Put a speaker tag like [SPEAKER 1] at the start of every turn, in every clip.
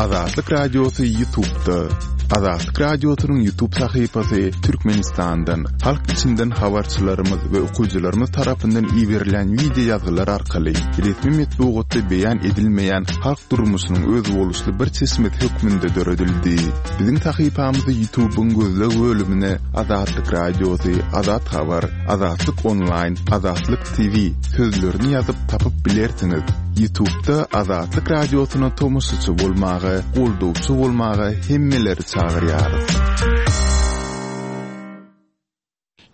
[SPEAKER 1] Azatlyk Radiosy Ýutubda. Azatlyk Radiosynyň Ýutub sahypasy Türkmenistandan, halk içinden habarçylarymyz we okyjylarymyz tarapyndan iberilen wideo ýazgylar arkaly resmi metbugatda beýan edilmeýän halk durmuşynyň özboluşly bir çeşmesi hökmünde döredildi. Biziň sahypamyzy Ýutubyň gözleg bölümine Azatlyk Radiosy, Azat Habar, Azatlyk Onlaýn, Azatlyk TV sözlerini ýazyp tapyp bilersiňiz. Ýutubda Azatlyk Radiosyna tomaşaçy bolmaga, goldawçy bolmaga hemmeleri çagyrýarys.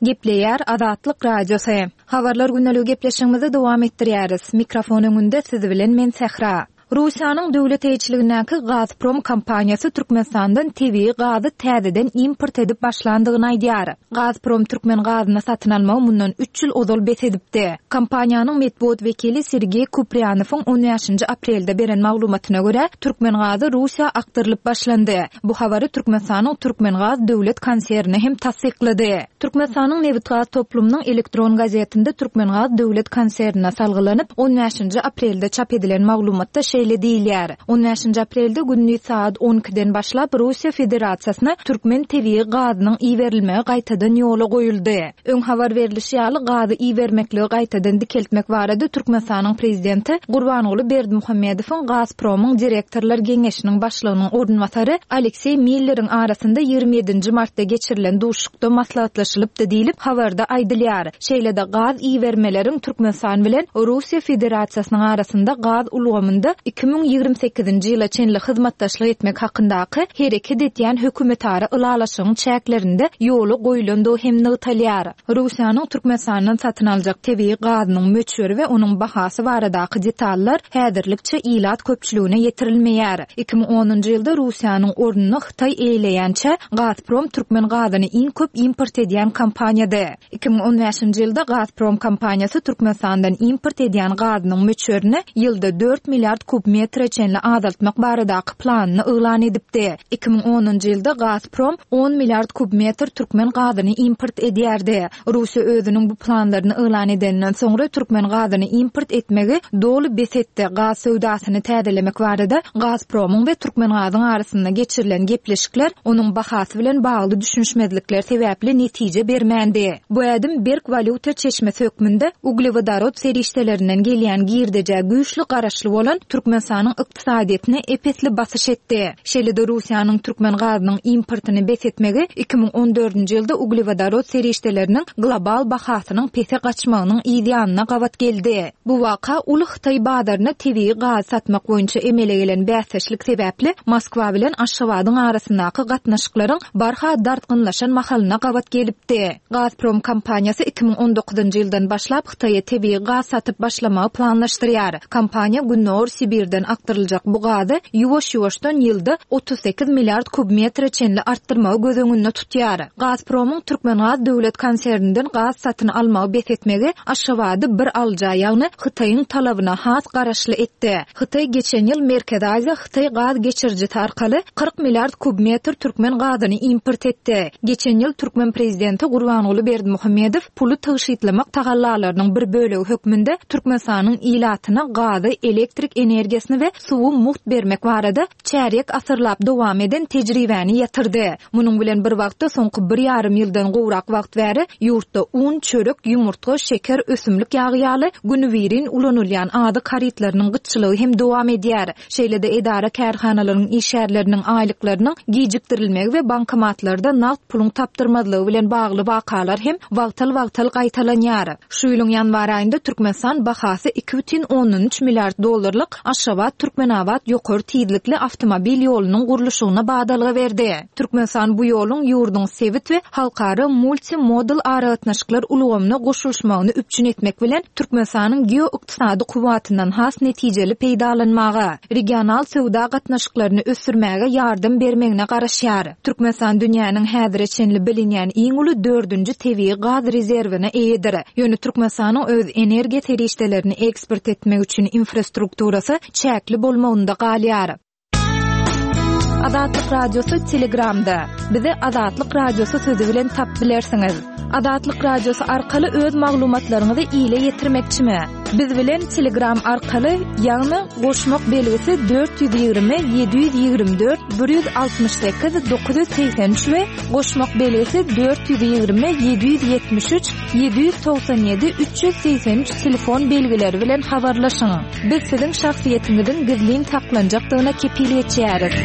[SPEAKER 2] Gepleýär Azatlyk Radiosy. Habarlar gündeligi gepleşigimizi dowam etdirýäris. Mikrofon öňünde siz bilen men Sähra. Russiýanyň döwlet eýeçiligindäki Gazprom kompaniýasy Türkmenistandan tebigy gazy täzeden import edip başlandygyny aýdýar. Gazprom türkmen gazyny satyn almagy mundan üç ýyl ozal bes edipdi. Kompaniýanyň metbugat wekili Sergeý Kupriýanowyň on bäşinji aprelde beren maglumatyna görä, türkmen gazy Russiýa akdyrylyp başlandy. Bu habary Türkmenistanyň Türkmengaz döwlet konserni hem tassyklady. Türkmenistanyň nebitgaz toplumynyň elektron gazetinde Türkmengaz döwlet konsernine salgylanyp, on bäşinji aprelde çap edilen maglumatda şeýle diýilýär, On bäşinji aprelde gündiz sagat on ikiden başlap Russiýa Federasiýasyna türkmen tebigy gazynyň iberilmegi gaýtadan ýola goýuldy. Öň habar berlişi ýaly, gazy ibermekligi gaýtadan dikeltmek barada Türkmenistanyň Prezidenti Gurbanguly Berdimuhamedowyň Gazpromyň direktorlar geňeşiniň başlygynyň orunbasary Alekseý Milleriň arasynda 27 nji martda geçirilen duşuşykda maslahatlaşylypdy diýlip, habarda aýdylýar. Şeýle-de gaz ibermeleriň Türkmenistan bilen Russiýa Federasiýasynyň arasynda gaz ulgamynda 2028-nji ýyla çenli hyzmatdaşlyk etmek hakyndaky hereket edýän hökümetara ylalaşygyň çäklerinde ýola goýulandygy hem nygtalýar. Russiýanyň Türkmenistandan satyn aljak tebigy gazynyň möçberi we onuň bahasy baradaky detallar häzirlikçe ilat köpçüligine ýetirilmeýär. 2010-njy ýylda Russiýanyň ornuny Hytaý eýeleýänçä, Gazprom türkmen gazyny iň köp import edýän kompaniýady. 2015-nji ýylda Gazprom kompaniýasy Türkmenistandan import edýän gazynyň möçberini ýylda dört milliard kub metre çenli azaltmak baradaky planyny yglan edipdi. 2010-njy ýylda Gazprom on milliard kub metr türkmen gazyny import edýärdi. Russiýa özüniň bu planlaryny yglan edeninden soňra türkmen gazyny import etmegi doly bes etdi. Gaz söwdasyny täzelemek barada Gazpromyň we Türkmengazyň arasynda geçirilen gepleşikler onuň bahasy bilen bagly düşünişmezlikler sebäpli netije bermändi. Bu ädim berk walýuta çeşmesi hökmünde uglewodorod serişdelerinden gelýän girdejä güýçli garaşly bolan Türkmenistanyň ykdysadyýetine ep-esli basyş etdi. Şeýle-de Russiýanyň türkmen gazynyň importyny bes etmegi 2014-nji ýylda uglewodorod serişdeleriniň global bahasynyň pese gaçmagynyň yz ýanyna gabat geldi. Bu waka uly hytaý bazaryna tebigy gazy satmak boýunça emele gelen bäsdeşlik sebäpli Moskwa bilen Aşgabadyň arasyndaky gatnaşyklaryň barha dartgynlaşan mahalyna gabat gelipdi. Gazprom kompaniýasy 2019-njy ýyldan başlap Hytaýa tebigy gaz satyp başlamagy planlaşdyrýar. Kompaniýa Gündogar Sibirden akdyryljak bu gazy ýuwaş-ýuwaşdan ýylda 38 milliard kub metre çenli artdyrmagy göz öňünde tutýar. Gazpromyň Türkmengaz döwlet konserninden gaz satyn almagy bes etmegi Aşgabady bir alyja, ýagny Hytaýyň talabyna has garaşly etdi. Hytaý geçen ýyl Merkezi Aziýa Hytaý gaz geçirijisi arkaly 40 milliard kub metr türkmen gazyny import etdi. Geçen ýyl türkmen prezidenti Gurbanguly Berdimuhamedow puly tygşytlamak tagallalarynyň bir bölegi hökmünde Türkmenistanyň ilatyna gazy, elektrik energiýasyny we suwy mugt bermek barada çärýek asyrlap dowam eden tejribäni ýatyrdy. Munuň bilen bir wagtda soňky bir ýarym ýyldan gowrak wagt bäri ýurtda un, çörek, ýumurtga, şeker, ösümlik ýagy ýaly günübirin ulanylýan azyk harytlarynyň gytçylygy hem dowam edýär. Şeýle-de edara-kärhanalaryň işgärleriniň aýlyklarynyň gijikdirilmegi we bankomatlarda nagt puluň tapdyrmazlygy bilen bagly wakalar hem wagtal-wagtal gaýtalanýar. Şu ýylyň ýanwar aýynda Türkmenistan bahasy 2,3 milliard dollarlyk Aşgabat-Türkmenabat ýokary tizlikli awtomobil ýolunyň gurluşygyna badalga berdi. Türkmenistan bu ýoluň ýurduň sebit we halkara multimodal aragatnaşyklar ulgamyna goşulyşmagyny üpjün etmek bilen, Türkmenistanyň geoykdysady kuwwatyndan has netijeli peýdalanmaga, regional söwda gatnaşyklaryny ösdürmäge ýardam bermegine garaşýar. Türkmenistan dünýäniň häzire çenli bilinýän iň uly dördünji tebigy gaz rezerwine eýedir. Ýöne Türkmenistanyň öz energiýa serişdelerini eksport etmek üçin infrastrukturasy çäkli bolmagynda galýar. Azatlyk Radiosy Telegramda. Bizi Azatlyk Radiosy sözi bilen tapyp bilersiňiz. Azatlyk Radiosy arkaly öz maglumatlaryňyzy ile ýetirmekçimi? Biz bilen Telegram arkaly, ýagny goşmak belgisi 420 724 168 983 we goşmak belgisi 420 773 797 383 telefon belgileri bilen habarlaşyň. Biz siziň şahsyýetiňiziň gizlin saklanjakdygyna kepil geçýäris.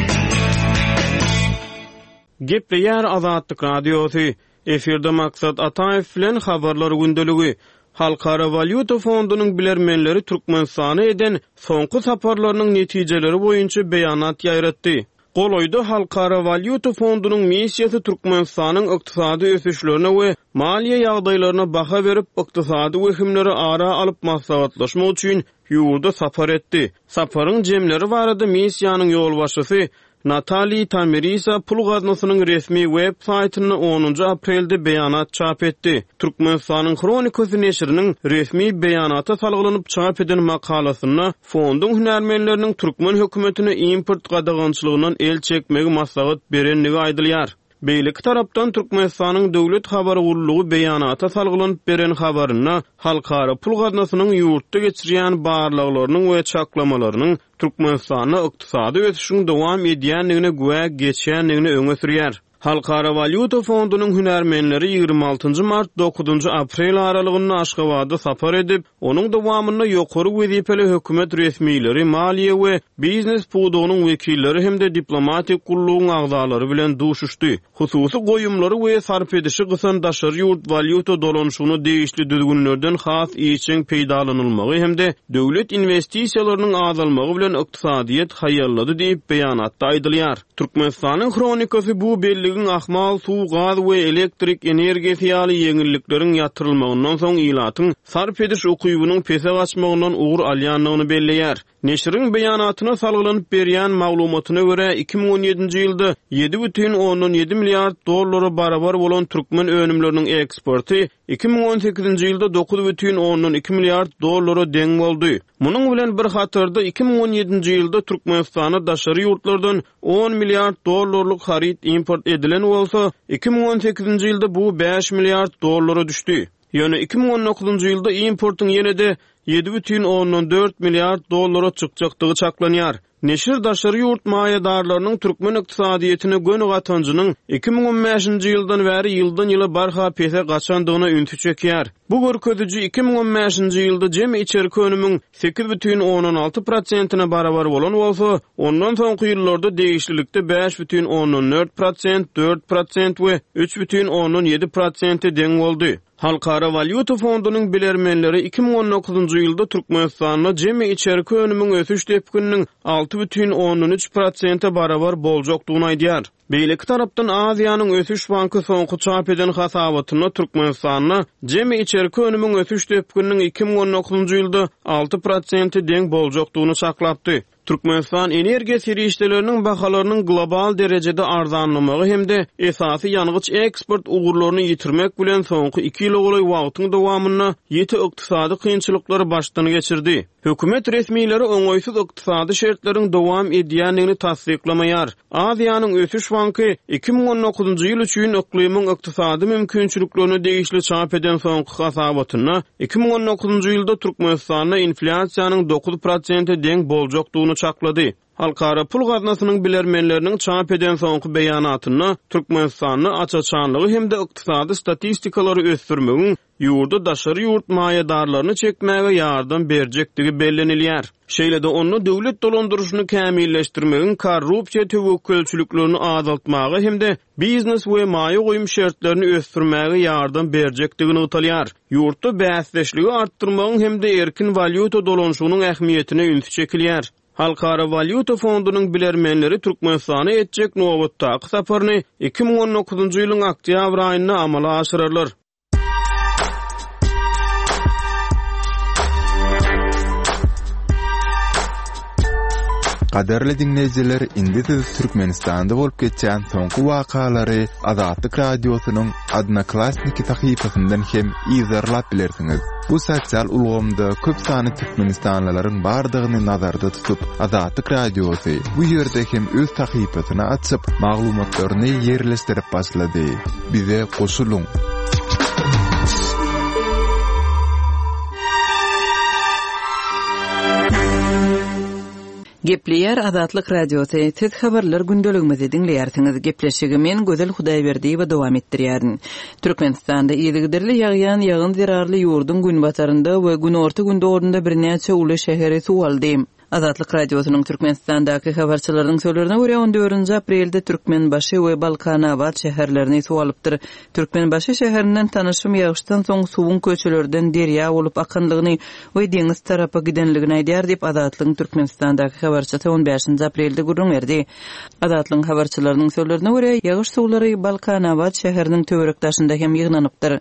[SPEAKER 3] Gepleýär Azatlyk Radiosy, Efirde Maksat Ataýew bilen Habarlar gündeligi. Halkara walýuta fondunyň bilermenleri Türkmenistana eden soňky saparlarynyň netijeleri boýunça beýanat ýaýratdy. Golaýda Halkara walýuta fondunyň missiýasy Türkmenistanyň ykdysady ösüşlerine we maliýe ýagdaýlaryna baha berip, ykdysady wehimleri ara alyp maslahatlaşmak üçin ýurda sapar etdi. Saparyň jemleri barada missiýanyň ýolbaşçysy Natali Tamirisa pul gaznasynyň resmi web saýtynda onunjy aprelde beýanat çap etdi. Türkmenistanyň Hronikasy neşiriniň resmi beýanata salgylanyp çap eden makalasynda fonduň hünärmenleriniň türkmen hökümetine import gadagançylygyndan el çekmegi maslahat berendigi aýdylýar. Beýleki tarapdan, Türkmenistanyň Döwlet habar gullugy beýanata salgylanyp beren habarynda Halkara pul gaznasynyň ýurtda geçirýän barlaglarynyň we çaklamalarynyň Türkmenistanda ykdysady ösüşiň dowam edýändigine güwä geçýändigini öňe sürýär. Halkara walýuta fondunyň hünärmenleri 26 mart, 9 aprel aralygynda Aşgabada sapar edip, onuň dowamynda ýokary wezipeli hökümet resmileri, maliýe we biznes pudagynyň wekilleri hem-de diplomatik gullugyň agzalary bilen duşuşdy. Hususy goýumlary we sarp edişi gysan daşary ýurt walýuta dolanyşygyna degişli düzgünlerden has işjeň peýdalanylmagy hem-de döwlet inwestisiýalarynyň azalmagy bilen ykdysadyýet haýallady diýip, beýanatda aýdylýar. Türkmenistanyň Hronikasy bu belligiň ahmal suw, gaz we elektrik energiýasy ýaly ýeňillikleriň ýatyrylmagyndan soň ilatyň sarp ediş ukybynyň pese gaçmagyndan ugur alýandygyny belleýär. Neşiriň beýanatyna salgylanyp berýän maglumatyna görä, 2017-nji ýylda 7,7 milliard dollara barabar bolan türkmen önümleriniň eksporty 2018-nji ýylda 9,2 milliard dollara deň boldy. Munuň bilen bir hatarda, 2017-nji ýylda Türkmenistana daşary ýurtlardan 10 milliard dollarlyk haryt import edilen bolsa, 2018-nji ýylda bu 5 milliard dollara düşdi. Ýöne 2019-njy ýylda importyň ýene-de 7,4 milliard dollara çykjakdygy çaklanýar. Neşir daşary ýurt maýadarlarynyň türkmen ykdysadyýetine göni gatanjynyň 2015-nji ýyldan bäri ýyldan-ýyla barha pese gaçandygyna ünsi çekýär. Bu görkeziji 2015-nji ýylda jemi içerki önümiň 8,6 prosentine barabar bolan bolsa, ondan soňky ýyllarda degişlilikde 5,4 prosent, 4 prosent we 3,7 prosente deň boldy. Halkara walýuta fondunyň bilermenleri 2019-njy ýylda Türkmenistanda jemi içerki önümiň ösüş depgininiň 6,3 prosente barabar boljakdygyny aýdýar. Beýleki tarapdan, Aziýanyň ösüş banky soňky çap eden hasabatynda Türkmenistanda jemi içerki önümiň ösüş depgininiň 2019-njy ýylda 6 prosente deň boljakdygyny çaklapdy. Türkmenistan energiýa serişdeleriniň bahalarynyň global derejede arzanlamagy hem-de esasy ýangyç eksport ugurlaryny ýitirmek bilen soňky iki ýyla golaý wagtyň dowamynda ýiti ykdysady kynçylyklary başdan geçirdi. Hökümet resmileri oňaýsyz ykdysady şertleriň dowam edýändigini tassyklamaýar. Aziýanyň ösüş banky 2019-njy ýyl üçin yklymyň ykdysady mümkinçiliklerine degişli çap eden soňky hasabatynda 2019-njy ýylda Türkmenistanda inflýasiýanyň 9 prosente deň boljakdygyny çaklady. Halkara pul gaznasynyň bilermenleriniň çap eden soňky beýanatynda Türkmenistanda aç-açanlygy hem-de ykdysady statistikalary ösdürmegiň ýurda daşary ýurt maýadarlaryny çekmäge ýardam berjekdigi bellenilýär. Şeýle-de onda döwlet dolandyryşyny kämilleşdirmegiň korrupsiýa töwekgelçiliklerini azaltmaga hem-de biznes we maýa goýum şertlerini ösdürmäge ýardam berjekdigi nygtalýar. Ýurtda bäsdeşligi artdyrmagyň hem-de erkin walýuta dolanyşygynyň ähmiýetine üns çekilýär. Halkara walýuta fondunyň bilermenleri Türkmenistana etjek nobatdaky saparyny 2019-njy ýylyň oktýabr aýynda amala aşyrarlar.
[SPEAKER 1] Gadyrly diňleýjiler, indi siz Türkmenistanda bolup geçýän soňky wakalary Azatlyk Radiosynyň Odnoklassniki sahypasyndan hem yzarlap bilersiňiz. Bu sosial ulgamda köp sanly türkmenistanlylaryň bardygyny nazarda tutup, Azatlyk Radiosy bu ýerde hem öz sahypasyny açyp, maglumatlaryny ýerleşdirip başlady. Bize goşulyň!
[SPEAKER 4] Gepleýär Azatlyk Radiosy, Siz Habarlar gündeligimizi diňleýärsiňiz. Gepleşigi men, Gözel Hudaýberdiýewa dowam etdirýärin. Türkmenistanda yzygiderli ýagýan ýagyn zerarly ýurduň günbatarynda we günorta-gündogarynda birnäçe uly şäheri suw aldy. Azatlyk Radiosynyň Türkmenistandaky habarçylarynyň sözlerine görä, on dördünji aprelde Türkmenbaşy we Balkanabat şäherlerini suw alypdyr. Türkmenbaşy şäherinden tanyşym ýagyşdan soň suwuň köçelerden derýa bolup akanlygyny we deňiz tarapa gidenligini aýdýar diýip, Azatlygyň Türkmenistandaky habarçysy on bäşinji aprelde gürrüň berdi. Azatlygyň habarçylarynyň sözlerine görä, ýagyş suwlary Balkanabat şäheriniň töwerek-daşynda hem ýygnanypdyr.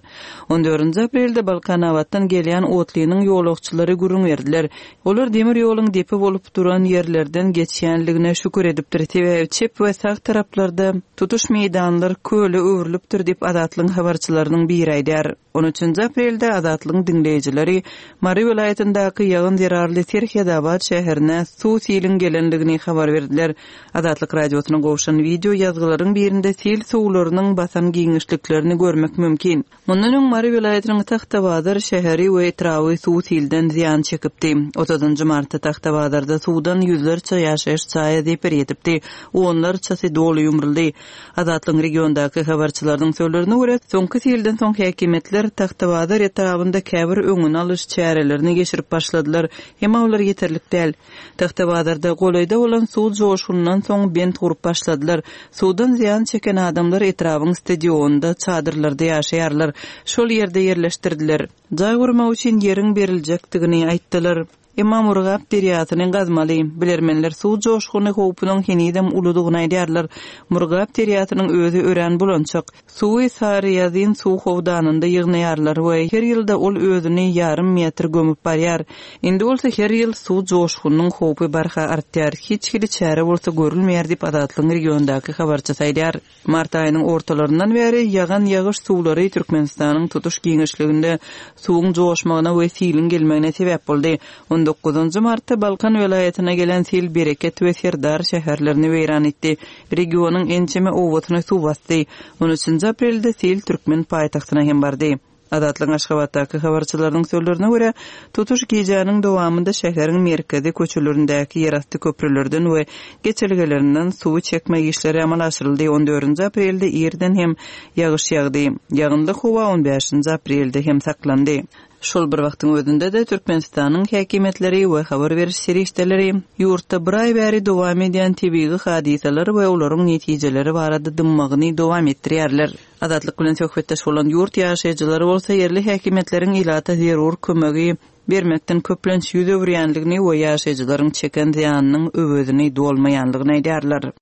[SPEAKER 4] On dördünji aprelde Balkanabatdan gelýän otlynyň ýolagçylary gürrüň berdiler. Olar demir ýoluň depe bolup duran ýerlerden geçýänligine şükür edipdir, sebäbi çep we sag taraplarda tutuş meýdanlar köle öwrülipdir diýip, Azatlygyň habarçylarynyň biri aýdýar. On üçünji aprelde Azatlygyň diňleýjileri Mary welaýatyndaky ýagyn zerarly Serhedabat şäherine suw siliň gelendigini habar berdiler. Azatlyk Radiosyna gowşan wideo ýazgylaryň birinde sil suwlarynyň basan giňişliklerini görmek mümkin. Mundan öň Mary welaýatynyň Tagtabazar şäheri we etraby suw-silden zyýan çekipdi. Otuzynjy martda Tagtabazarda suwdan ýüzlerçe ýaşaýyş jaýa zeper ýetipdi, onlarçasy doly ýumruldy. Azatlygyň regiondaky habarçylarynyň sözlerine görä, soňky silden soň häkimiýetler Tagtabazar etrabynda käbir öňüni alyş çärelerini geçirip başladylar, emma olar ýeterlik däl. Tagtabazarda golaýda bolan suw joşgunyndan soň bent gurup başladylar. Suwdan zyýan çeken adamlar etrabyň stadionynda çadyrlarda ýaşaýarlar. Şol ýerde ýerleşdirdiler. Jaý gurmak üçin ýeriň beriljekdigini aýtdylar. Emma Murgap derýasyny gazmaly. Bilermenler suw joşguny howpunyň henizem uludygyny aýdýarlar. Murgap derýasynyň özi örän bulançak. Suwy Saryýazyn suw howdanynda ýygnaýarlar we her ýylda ol özüni ýarym metr gömüp barýar. Indi bolsa her ýyl suw joşgunynyň howpy barha artýar, hiç hili çäre bolsa görülmeýär diýip, Azatlygyň regiondaky habarçysy aýdýar. Mart aýynyň ortalaryndan bäri ýagan ýagyş suwlary Türkmenistanyň tutuş giňişliginde suwuň joşmagyna we siliň gelmegine sebäp boldy. On dokuzynjy martda Balkan welaýatyna gelen sil Bereket we Serdar şäherlerini weýran etdi. Regionyň ençeme obasyny suw basdy. On üçünji aprelde sil türkmen paýtagtyna hem bardy. Azatlygyň Aşgabatdaky habarçylarynyň sözlerine görä, tutuş gijäniň dowamynda şäheriň merkezi köçelerindäki ýerasty köprülerden we geçelgelerinden suwy çekmek işleri amala aşyryldy. On dördünji aprelde irden hem ýagyş ýagdy. Ýagynly howa on bäşinji aprelde hem saklandy. Şol bir wagtyň özünde-de, Türkmenistanyň häkimiýetleri we habar beriş serişdeleri ýurtda bir aý bäri dowam edýän tebigy hadysalar we olaryň netijeleri barada dymmagyny dowam etdirýärler. Azatlyk bilen söhbetdeş bolan ýurt ýaşaýjylary bolsa ýerli häkimiýetleriň ilata zerur kömegi bermekden köplenç ýüz öwürýändigini we ýaşaýjylaryň çeken zyýanynyň öwezini dolmaýandygyny aýdýarlar.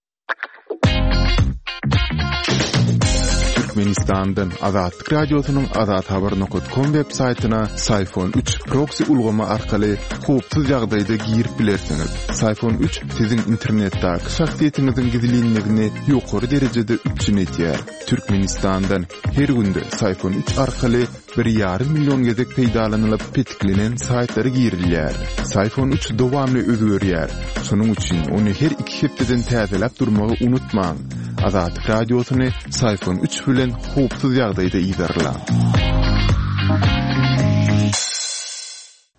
[SPEAKER 1] Türkmenistandan Azatlyk Radiosynyň Azathabar nokat kom web saýtyna Syfon 3 proksi ulgamy arkaly howpsuz ýagdaýda girip bilersiňiz. Syfon 3 siziň internetdäki şahsyýetiňiziň gizlinligini ýokary derejede üpjün edýär. Türkmenistandan her günde Syfon 3 arkaly Bir ýarym million gezek peýdalanylyp petiklenen saýtlara girilýär. Syfon 3 dowamly özgerýär. Şonuň üçin ony her iki hepdeden täzeläp durmagy unutmaň. Azatlyk Radiosyny Syfon 3 bilen howpsuz ýagdaýda yzarlaň.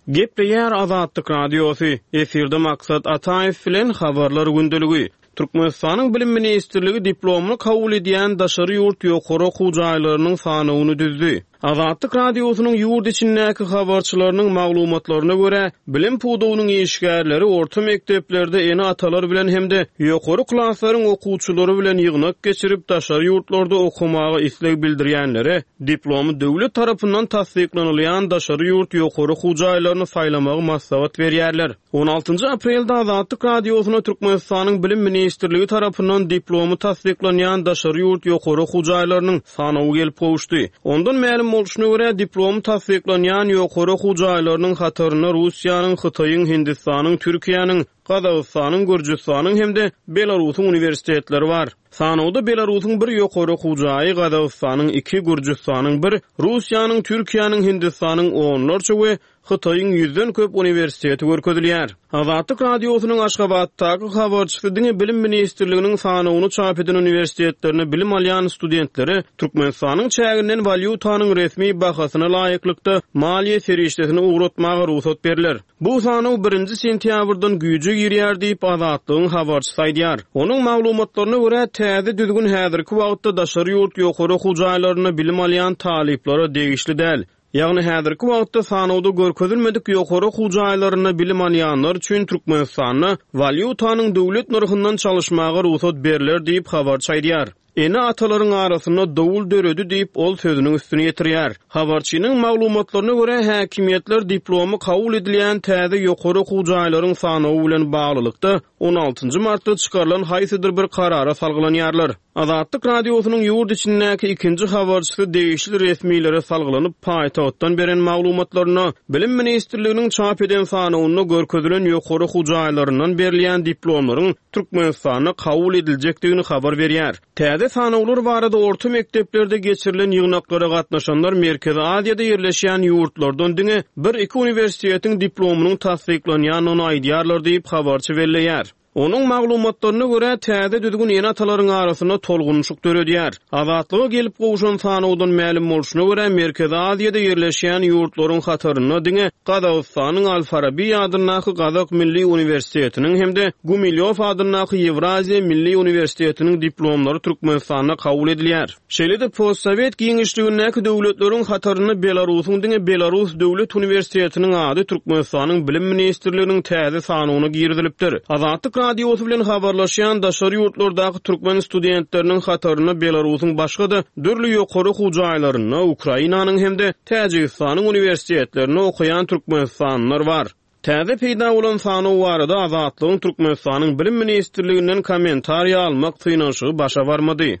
[SPEAKER 3] Gepleýär Azatlyk Radiosy, efirde Maksat Ataýew bilen Habarlar gündeligi. Türkmenistanyň Bilim ministrligi diplomly kabul edýän daşary ýurt ýokary okuw jaýlarynyň sanawyny düzdi. Azatlyk Radiosynyň ýurt içindäki habarçylarynyň maglumatlaryna görä, bilim pudagynyň işgärleri orta mekdeplerde ene-atalar bilen hem-de ýokary klaslaryň okuwçylary bilen ýygnak geçirip, daşary ýurtlarda okamaga isleg bildirýänlere diplomy döwlet tarapyndan tassyklanylýan daşary ýurt ýokary okuw jaýlaryny saýlamagy maslahat berýärler. On altynjy aprelde Azatlyk Radiosyna Türkmenistanyň Bilim ministrligi tarapyndan diplomy tassyklanýan daşary ýurt ýokary okuw jaýlarynyň sanawy gelip gowuşdy. Ondan mälim bolşuna görä, diplomy tassyklanýan ýokary okuw jaýlarynyň hatarynda Russiýanyň, Hytaýyň, Hindistanyň, Türkiýäniň, Gazagystanyň, Gürjüstanyň hem-de Belarusyň uniwersitetleri bar. Sanawda Belarusyň bir ýokary okuw jaýy, Gazagystanyň iki, Gürjüstanyň bir, Russiýanyň, Türkiýäniň, Hindistanyň onlarça we. Hytaýyň ýüzden köp uniwersiteti görkezilýär. Azatlyk Radiosynyň Aşgabatdaky habarçysy diňe Bilim ministrliginiň sanawyny çap eden uniwersitetlerinde bilim alýan studentlere Türkmenistanyň çäginden walýutanyň resmi bahasyna laýyklykda maliýe serişdesini ugratmaga rugsat berler. Bu sanaw birinji sentýabrdan güýje girýär diýip, Azatlygyň habarçysy aýdýar. Onuň maglumatlaryna görä, täze düzgün häzirki wagtda daşary ýurt ýokary okuw jaýlarynda bilim alýan talyplara degişli däl. Ýagny häzirki wagtda sanawda görkezilmedik ýokary okuw jaýlarynda bilim alýanlar üçin Türkmenistanda walýutanyň döwlet nyrhyndan çalyşmaga rugsat berler diýip, habarçy aýdýar. Ene-atalaryň arasynda dowul döredi diýip, ol sözüniň üstüni ýetirýär. Habarçynyň maglumatlaryna görä, häkimiýetler diplomy kabul edilýän täze ýokary okuw jaýlaryň sanawy bilen baglylykda, on altynjy martda çykarylan haýsydyr bir karara salgylanýarlar. Azatlyk Radiosynyň ýurt içindäki ikinji habarçysy degişli resmilere salgylanyp, paýtagtdan beren maglumatlarynda, Bilim ministrliginiň çap eden sanawynda görkezilen ýokary okuw jaýlaryndan berilýän diplomlaryň Türkmenistanda kabul ediljekdigini habar berýär. Täze sanawlar barada orta mekdeplerde geçirilen ýygnaklara gatnaşanlar Merkezi Aziýada ýerleşýän ýurtlardan diňe bir-iki uniwersitetiň diplomynyň tassyklanýandygyny aýdýarlar diýip, habarçy belleýär. Onuň maglumatlaryna görä, täze düzgün ene-atalaryň arasynda tolgunyşyk döredýär. Azatlyga gelip gowşan sanawdan mälim bolşuna görä, Merkezi Aziýada ýerleşýän ýurtlaryň hatarynda diňe Gazagystanyň Al-Farabi adyndaky Gazak milli uniwersitetiniň hem-de Gumilýow adyndaky Ýewraziýa milli uniwersitetiniň diplomlary Türkmenistanda kabul edilýär. Şeýle-de postsowet giňişligindäki döwletleriň hatarynda Belarusyň diňe Belarus döwlet uniwersitetiniň ady Türkmenistanyň Bilim ministrliginiň täze sanawyna girizilipdir. Azatlyk Radiosy bilen habarlaşýan daşary ýurtlardaky türkmen studentleriniň hatarynda Belarusyň başga-da dürli ýokary okuw jaýlarynda, Ukrainanyň hem-de Täjigistanyň uniwersitetlerinde okaýan türkmenistanlylar bar. Täze peýda bolan sanaw barada Azatlygyň Türkmenistanyň Bilim ministrliginden kommentariýa almak synanyşygy başa barmady.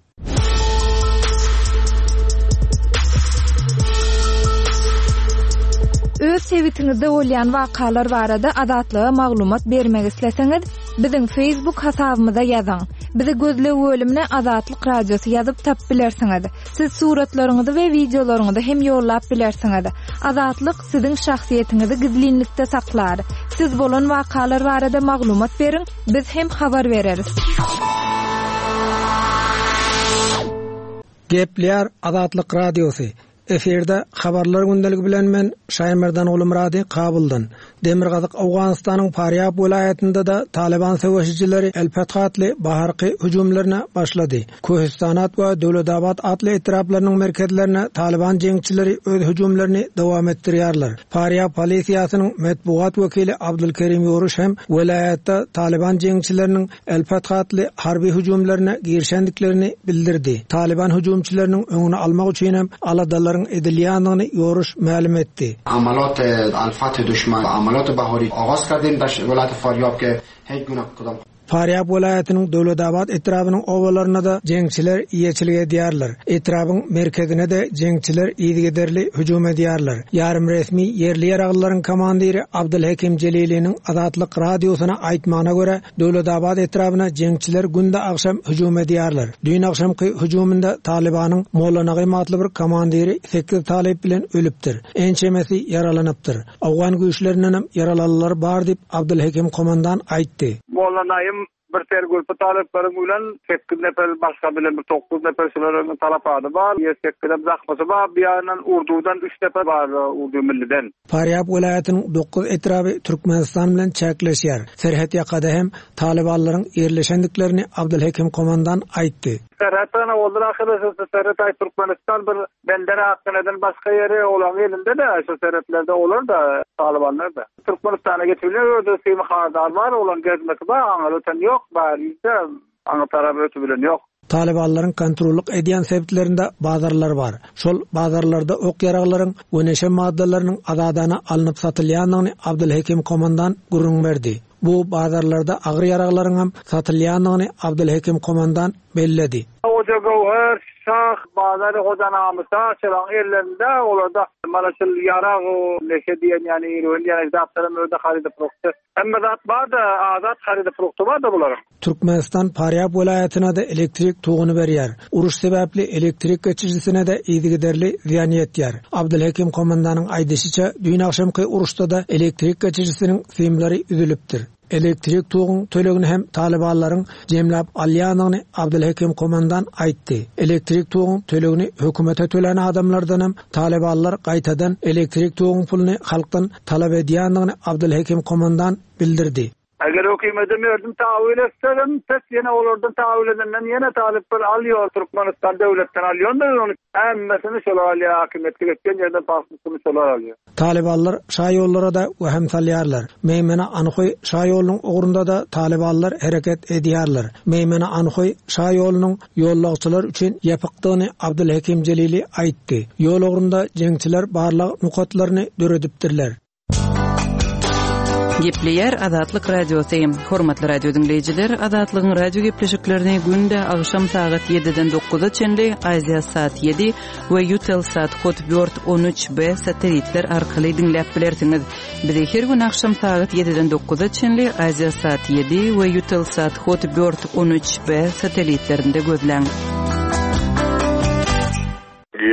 [SPEAKER 2] Öz sebitiňizde bolýan wakalar barada Azatlyga maglumat bermek isleseňiz, biziň Facebook hasabymyza ýazyň. Bizi gözleg bölümine Azatlyk Radiosy ýazyp tapyp bilersiňiz. Siz suratlaryňyzy we wideolaryňyzy hem ýollap bilersiňiz. Azatlyk siziň şahsyýetiňizi gizlinlikde saklar. Siz bolan wakalar barada maglumat beriň, biz hem habar bereris.
[SPEAKER 5] Gepleýär Azatlyk Radiosy. Efirde Habarlar gündeligi bilen men Şaýmerdan Gulumyrady Kabuldan. Demirgazyk Owganystanyň Farýab welaýatynda-da Talyban söweşijileri El-Feth atly baharky hüjümlerine başlady. Köhistanat we Döwletabat atly etraplarynyň merkezlerine Talyban jeňçileri öz hüjümlerini dowam etdirýärler. Farýab polisiýasynyň metbugat wekili Abdulkerim Ýoruş hem welaýatda Talyban jeňçileriniň El-Feth atly harby hüjümlerine girişendiklerini bildirdi. Talyban hüjümçileriniň öňüni almak üçin hem aladalaryň edilýändigini Ýoruş mälim etdi.
[SPEAKER 6] Amalat Al-Fath duşman amalat bahori agaz kardem dar welayat Faryab ke hiç guna kdam.
[SPEAKER 5] Farýab welaýatynyň Döwletabat etrabynyň obalarynda-da jeňçiler eýeçilik edýärler. Etrabyň merkezine-de jeňçiler yzygiderli hüjüm edýärler. Ýarym resmi ýerli ýaraglylaryň komandiri Abdylhekim Jeliliniň Azatlyk Radiosyna aýtmagyna görä, Döwletabat etrabyna jeňçiler günde agşam hüjüm edýärler. Düýn agşamky hüjüminde Talybanyň Molla Nagym atly bir komandiri sekiz talyp bilen ölüpdir. Ençemesi ýaralanypdyr. Owgan güýçlerindenem ýaralalylar bar diýip, Abdylhekim komandan aýtdy.
[SPEAKER 7] Molla Naýym bir sergürpi talyplaryň bilen sekiz nefer başga bilen bir dokuz nefer şularyň talapady bar. Ýedi sekizem zahmasy bar. Bir ýanyndan urdudan üç nefer bar urdu milliden.
[SPEAKER 5] Farýab welaýatynyň dokuz etraby Türkmenistan bilen çäkleşýär. Serhet ýakada hem talybanlaryň ýerleşendiklerini Abdylhekim komandan aýtdy.
[SPEAKER 7] Serhet ana oldur ahyry şu serhet aý Türkmenistan bir bender Akgeneden başga ýeri olaň elinde-de şu serhetlerde olar-da talybanlar-da. Türkmenistana geçip bilýär özde simi hardal bar olaň gezmesi bar aňyr öten ýok bäride aňy tarap ötübilen ýok.
[SPEAKER 5] Talybanlaryň kontrollyk edýän sebitlerinde bazarlar bar. Şol bazarlarda ok-ýaraglaryň we neşe maddalarynyň azadana alnyp satylýandygyny Abdylhekim komandan gürrüň berdi. Bu bazarlarda agyr ýaraglaryňam satylýandygyny Abdylhekim komandan. belledi.
[SPEAKER 7] Hoja Göwher şah, Bazary Hoja Namysa şolaryň ellerinde, olarda mana şul ýarag, neşe diýen ýaly, eroin diýen zatlaram özde harydy frukty. Hemme zat bar-da, azat harydy frukty bar-da bularyň.
[SPEAKER 5] Türkmenistan Farýab welaýatyna-da elektrik toguny berýär. Uruş sebäpli elektrik geçirijisine-de yzygiderli zyýan ýetýär. Abdylhekim komandanyň aýdyşyça, düýn agşamky uruşda-da elektrik geçirijisiniň simleri üzülipdir. Elektrik toguň tölegini hem talybanlaryň jemläp alýandygyny Abdylhekim komandan aýtdy. Elektrik toguň tölegini hökümete tölän adamlardanam talybanlar gaýtadan elektrik toguň puluny halkdan talap edýändigini Abdylhekim komandan bildirdi.
[SPEAKER 7] Eger hökümete merdim tawil etsegem pes ýene olardan tawil edenden ýene talyplar alýor Türkmenistan döwletden alýondyr ony hemmesini şolar alýar hakimiýetde geçen ýerden paspurtyny şolar alýar.
[SPEAKER 5] Talybanlar şaýollara-da wehim salýarlar. Meýmene-Anhoý şaýolunyň ugrunda-da talybanlar hereket edýärler. Meýmene-Anhoý şaýolunyň ýollagçylar üçin ýapykdygyny Abdylhekim Jelili aýtdy. Ýol ugrunda jeňçiler barlag nokatlaryny döredipdirler.
[SPEAKER 4] Gepleýär Azatlyk Radiosy. Hormatly radio diňleýjiler, Azatlygyň radio gepleşiklerini günde agşam sagat ýediden dokuza çenli Aziasat ýedi we Eutelsat Hotbird 13 B satelitler arkaly diňläp bilersiňiz. Bizi her gün agşam sagat ýediden dokuza çenli Aziasat ýedi we Eutelsat Hotbird 13 B satelitlerinde gözläň.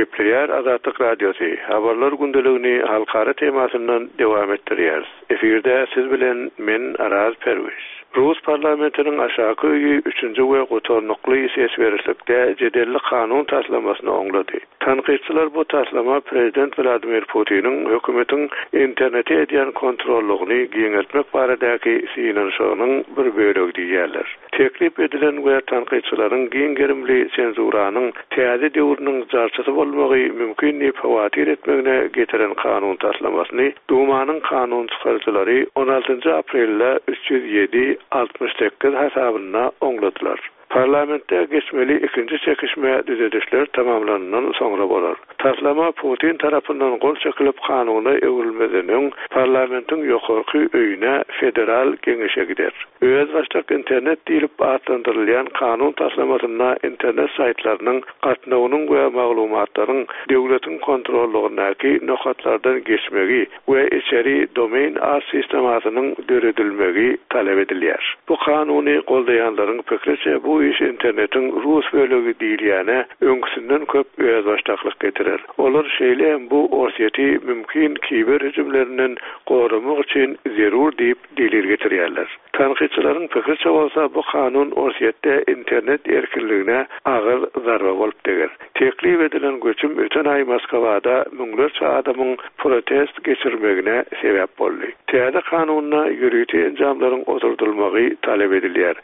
[SPEAKER 8] Gepleýär Azatlyk Radiosy, Habarlar gündeligini halkara temasyndan dowam etdirýäris. Efirde siz bilen men Araz Perwiz. Rus parlamentiniň aşaky öýi üçünji we gutarnykly ses berişlikde jedelli kanun taslamasyny oňlady. Tankytçylar bu taslama prezident Wladimir Putiniň hökümetiň internete edýän kontrollygyny giňeltmek baradaky synanyşygynyň bir bölegi diýýärler. Teklip edilen we tankytçylaryň giň gerimli senzuranyň täze döwrüniň jarçysy bolmagy mümkin diýip howatyr etmegine getiren kanun taslamasyny Dumanyň kanun çykaryjylary on altynjy aprelde 307, 68 hasabynda oňladylar. Parlamentde geçmeli ikinji çekişme düzedişler tamamlanandan soňra bolar. Taslama Putin tarapyndan gol çekilip kanuna öwrülmezden öň parlamentiň ýokarky öýüne Federal Geňeşe gider. Özbaşdak internet diýlip atlandyrylýan kanun taslamasynda internet saýtlarynyň gatnawynyň we maglumatlaryň döwletiň kontrollygyndaky nokatlardan geçmegi we içeri domain art sistemasynyň döredilmegi talap edilýär. Bu kanuny goldaýanlaryň pikriçe bu iş internetiň rus bölegi diýilýäne öňküsinden köp özbaşdaklyk getirer. Olar şeýle hem bu Orsýeti mümkin kiber hüjümlerinden goramak üçin zerur diýip delil getirýärler. Tankytçylaryň pikriçe bolsa bu kanun Orsýetde internet erkinligine agyr zarba bolup deger. Teklip edilen göçüm öten aý Moskwada müňlerçe adamyň protest geçirmegine sebäp boldy. Täze kanunda ýörite enjamlaryň oturdylmagy talap edilýär.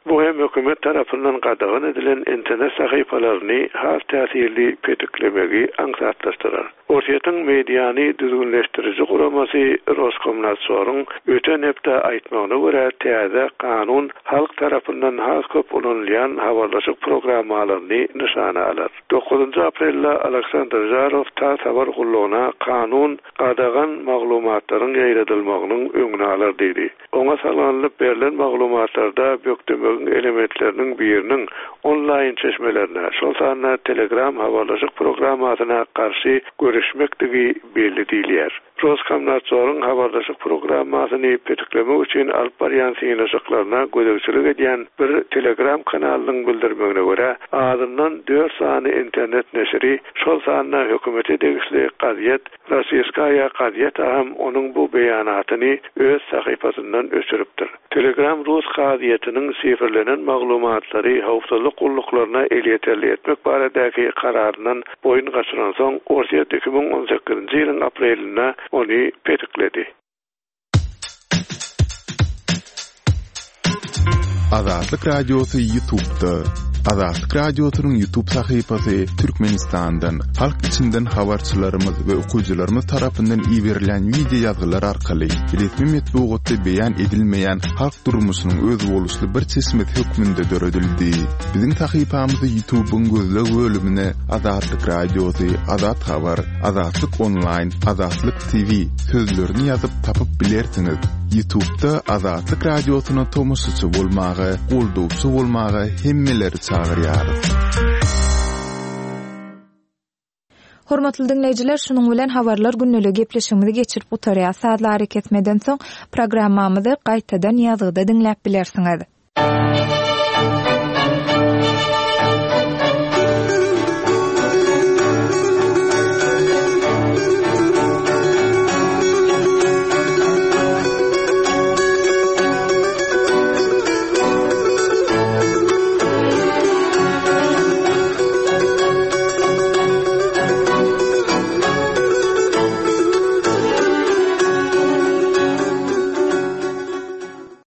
[SPEAKER 8] Bu hem hökümet tarapyndan gadagan edilen internet sahypalaryny has täsirli petiklemegi aňsatlaşdyrar. Orsýetiň mediany düzgünleşdiriji guramasy Roskomnadzoryň öten hepde aýtmagyna görä, täze kanun halk tarapyndan has köp ulanylýan habarlaşyk programmalaryny nyşana alar. Dokuzynjy aprelde Aleksandr Žarow tass habar gullugyna kanun gadagan maglumatlaryň ýaýradylmagynyň öňüni alar diýdi. Oňa salgylanyp berlen maglumatlarda bökdemegiň elementleriniň biriniň onlaýn çeşmelerine, şol sanda Telegram habarlaşyk programmasyna garşy göreşmekdigi belli diýilýär. Roskomnadzoryň habarlaşyk programmasyny petiklemek üçin alyp barýan synanyşyklaryna gözegçilik edýän bir Telegram kanalynyň bildirmegine görä, azyndan dört sany internet neşiri, şol sanda hökümete degişli gazet Rossiýskaýa gazeta hem onuň bu beýanatyny öz sahypasyndan öçüripdir. Telegram rus kazyýetiniň şifrlenen maglumatlary howpsuzlyk gulluklaryna elýeterli etmek baradaky kararyndan boýun gaçyransoň, Orsýet 2018-nji ýylyň aprelinde ony petikledi.
[SPEAKER 1] Azatlyk Radiosy Ýutubda. Azatlyk Radiosynyň Ýutub sahypasy Türkmenistandan, halk içinden habarçylarymyz we okyjylarymyz tarapyndan iberilýän wideo ýazgylar arkaly resmi metbugatda beýan edilmeýän halk durmuşynyň özboluşly bir çeşmesi hökmünde döredildi. Biziň sahypamyzy Ýutubyň gözleg bölümine Azatlyk Radiosy, Azat Habar, Azatlyk Onlaýn, Azatlyk TV sözlerini ýazyp tapyp bilersiňiz. Ýutubda Azatlyk Radiosyna tomaşaçy bolmaga, goldawçy bolmaga hemmeleri çagyrýarys.
[SPEAKER 2] Hormatly diňleýjiler, şunuň bilen Habarlar gündeligi gepleşigimizi geçirip gutarýas. Sazly arakesmeden soň programmamyzy gaýtadan ýazgyda diňläp bilersiňiz.